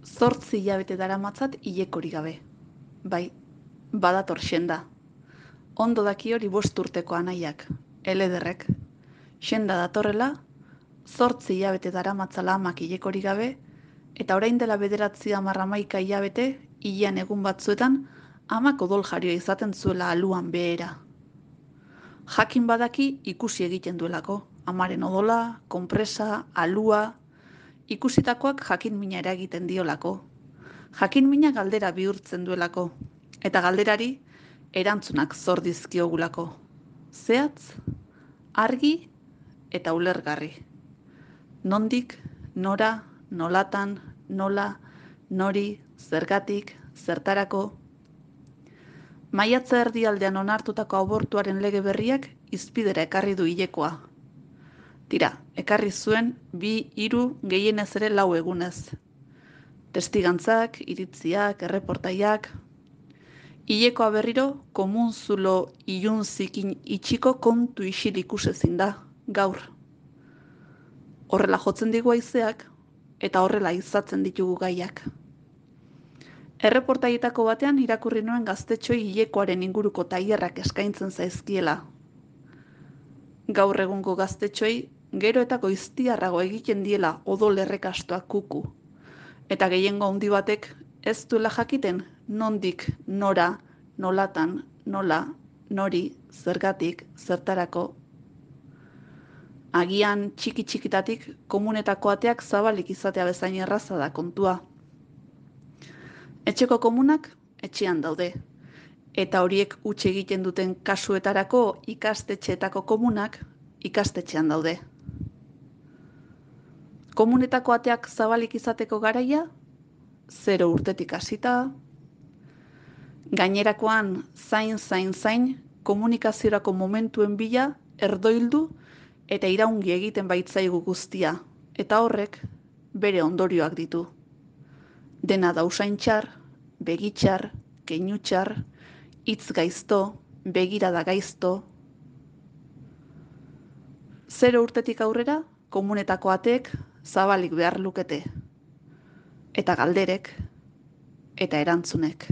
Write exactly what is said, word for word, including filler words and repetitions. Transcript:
Zortzi hilabete daramatzat hilekorik gabe. Bai, badator xenda. Ondo daki hori bost urteko anaiak, elederrek. Xenda datorrela, zortzi hilabete daramatzala amak hilekorik gabe, eta orain dela bederatzi hamar hamaika hilabete, hilean egun batzuetan, amak odol jarioa izaten zuela aluan behera. Jakin badaki ikusi egiten duelako, amaren odola, konpresa, alua, ikusitakoak jakin mina eragiten diolako. Jakin mina galdera bihurtzen duelako, eta galderari erantzunak zor dizkiogulako. Zehatz, argi eta ulergarri. Nondik, nora, nolatan, nola, nori, zergatik, zertarako. Maiatza erdialdean onartutako abortuaren lege berriak izpidera ekarri du hilekoa. Tira, ekarri zuen bi, hiru, gehienez ere lau egunez. Testigantzak, iritziak, erreportaiak. Hilekoa berriro, komun zulo ilun zikin itxiko kontu isil ikusezin da, gaur. Horrela jotzen digu haizeak, eta horrela izatzen ditugu gaiak. Erreportaietako batean irakurri nuen gaztetxoi hilekoaren inguruko tailerrak eskaintzen zaizkiela. Gaur egungo gaztetxoi, gero eta goiztiarrago egiten diela odol errekastoak kuku. Eta gehiengo handi batek ez duela jakiten nondik, nora, nolatan, nola, nori, zergatik, zertarako. Agian txiki-txikitatik komunetako ateak zabalik izatea bezain erraza da kontua. Etxeko komunak etxean daude, eta horiek huts egiten duten kasuetarako ikastetxeetako komunak ikastetxean daude. Komunetako ateak zabalik izateko garaia, zero urtetik hasita, gainerakoan zain, zain, zain, komunikaziorako momentuen bila erdoildu eta iraungi egiten baitzaigu guztia, eta horrek bere ondorioak ditu. Dena da usaintxar, begitxar, keinutxar, hitz gaizto, begirada gaizto. Zero urtetik aurrera, komunetako ateek zabalik behar lukete. Eta galderek, eta erantzunek.